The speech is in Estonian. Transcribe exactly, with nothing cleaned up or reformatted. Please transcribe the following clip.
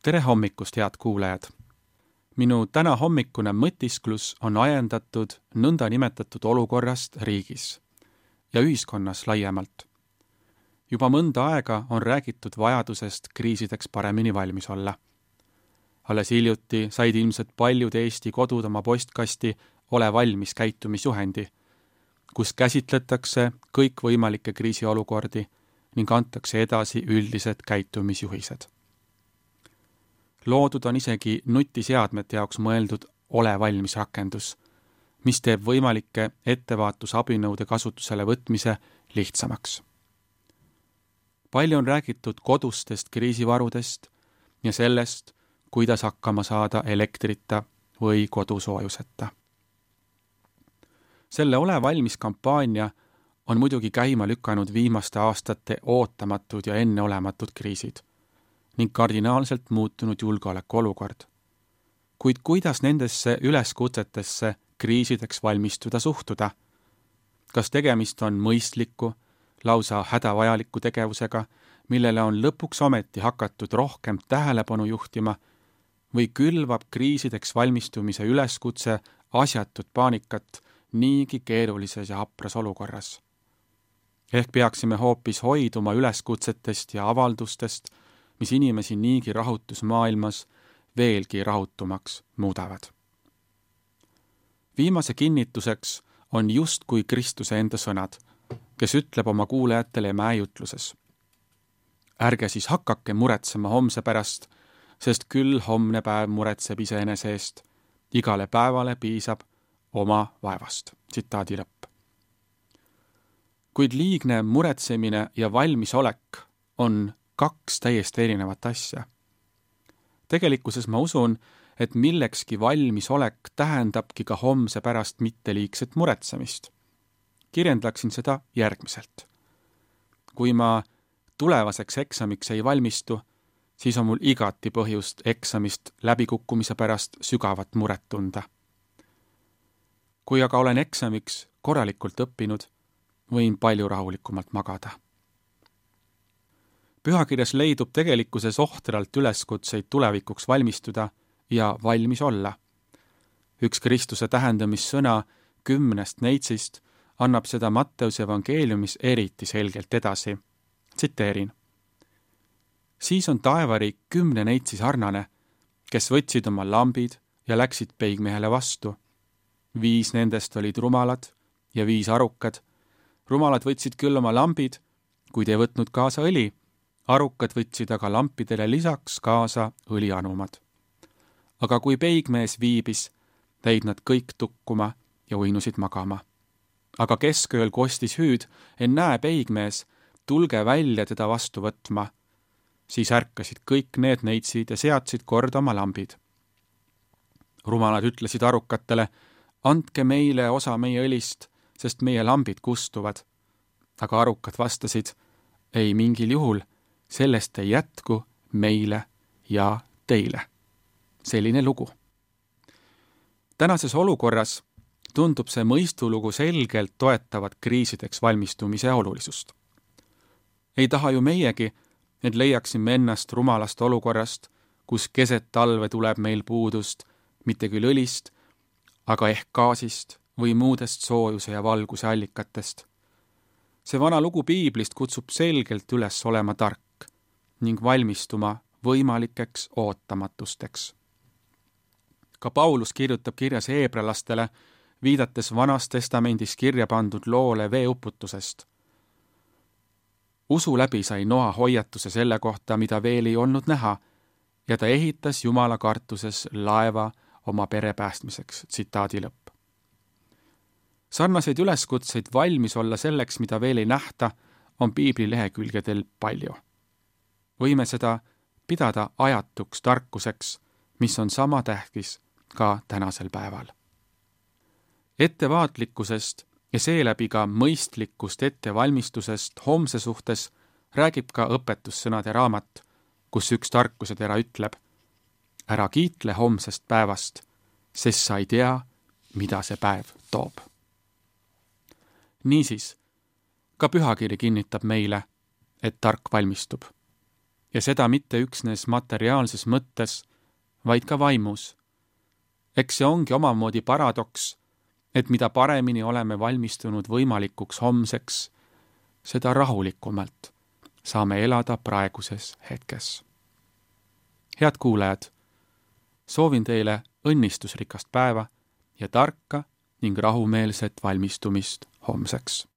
Tere hommikust, head kuulajad! Minu täna hommikune mõtisklus on ajendatud nõnda nimetatud olukorrast riigis ja ühiskonnas laiemalt. Juba mõnda aega on räägitud vajadusest kriisideks paremini valmis olla. Alles hiljuti said ilmselt paljud Eesti kodud oma postkasti ole valmis käitumisjuhendi, kus käsitletakse kõikvõimalikke kriisiolukordi ning antakse edasi üldised käitumisjuhised. Loodud on isegi nutiseadmete jaoks mõeldud ole valmis rakendus, mis teeb võimalike ettevaatusabinõude kasutusele võtmise lihtsamaks. Palju on räägitud kodustest kriisivarudest ja sellest, kuidas hakkama saada elektrita või kodusoojuseta. Selle ole valmis kampaania on muidugi käima lükanud viimaste aastate ootamatud ja enneolematud kriisid ning kardinaalselt muutunud julgeolekuolukord. Kuid kuidas nendesse üleskutsetesse kriisideks valmistuda suhtuda? Kas tegemist on mõistliku, lausa hädavajaliku tegevusega, millele on lõpuks ometi hakatud rohkem tähelepanu juhtima, või külvab kriisideks valmistumise üleskutse asjatut paanikat niigi keerulises ja hapras olukorras? Ehk peaksime hoopis hoiduma üleskutsetest ja avaldustest, mis inimesi niigi rahutusmaailmas veelgi rahutumaks muudavad. Viimase kinnituseks on justkui Kristuse enda sõnad, kes ütleb oma kuulajatele mäejutluses. Ärge siis hakake muretsema homse pärast, sest küll homne päev muretseb iseenese eest. Igale päevale piisab oma vaevast. Tsitaadi lõpp. Kuid liigne muretsemine ja valmisolek on kaks täiesti erinevat asja. Tegelikkuses ma usun, et millekski valmisolek tähendabki ka homse pärast mitteliigset muretsemist. Kirjendaksin seda järgmiselt. Kui ma tulevaseks eksamiks ei valmistu, siis on mul igati põhjust eksamist läbikukkumise pärast sügavat muret tunda. Kui aga olen eksamiks korralikult õppinud, võin palju rahulikumalt magada. Pühakirjas leidub tegelikkuses ohtralt üleskutseid tulevikuks valmistuda ja valmis olla. Üks Kristuse tähendamissõna kümnest neitsist annab seda Matteuse evangeeliumis eriti selgelt edasi. Tsiteerin. Siis on taevariik kümne neitsi sarnane, kes võtsid oma lambid ja läksid peigmehele vastu. Viis nendest olid rumalad ja viis arukad. Rumalad võtsid küll oma lambid, kuid ei võtnud kaasa õli. Arukad võtsid aga lampidele lisaks kaasa õlianumad. Aga kui peigmees viibis, jäid nad kõik tukkuma ja uinusid magama. Aga keskööl kostis hüüd, en näe peigmees, tulge välja teda vastu võtma. Siis ärkasid kõik need neitsid ja seadsid korda oma lambid. Rumalad ütlesid arukatele, andke meile osa meie õlist, sest meie lambid kustuvad. Aga arukad vastasid, ei mingil juhul, sellest ei jätku meile ja teile. Selline lugu. Tänases olukorras tundub see mõistulugu selgelt toetavat kriisideks valmistumise olulisust. Ei taha ju meiegi, et leiaksime ennast rumalast olukorrast, kus keset talve tuleb meil puudust, mitte küll õlist, aga ehk gaasist või muudest soojuse ja valguse allikatest. See vana lugu piiblist kutsub selgelt üles olema tark ning valmistuma võimalikeks ootamatusteks. Ka Paulus kirjutab kirjas heebralastele, viidates Vanas Testamendis kirja pandud loole veeuputusest. Usu läbi sai Noa hoiatuse selle kohta, mida veel ei olnud näha, ja ta ehitas Jumala kartuses laeva oma pere päästmiseks. Tsitaadi lõpp. Sarnaseid üleskutseid valmis olla selleks, mida veel ei nähta, on piibli lehekülgedel palju. Võime seda pidada ajatuks tarkuseks, mis on sama tähtis ka tänasel päeval. Ettevaatlikkusest ja seeläbi ka mõistlikust ettevalmistusest homse suhtes räägib ka õpetussõnade raamat, kus üks tarkusetera ütleb, ära kiitle homsest päevast, sest sa ei tea, mida see päev toob. Niisiis, ka pühakiri kinnitab meile, et tark valmistub. ja seda mitte üksnes materiaalses mõttes, vaid ka vaimus. Eks see ongi omamoodi paradoks, et mida paremini oleme valmistunud võimalikuks homseks, seda rahulikumalt saame elada praeguses hetkes. Head kuulajad, soovin teile õnnistusrikast päeva ja tarka ning rahumeelset valmistumist homseks.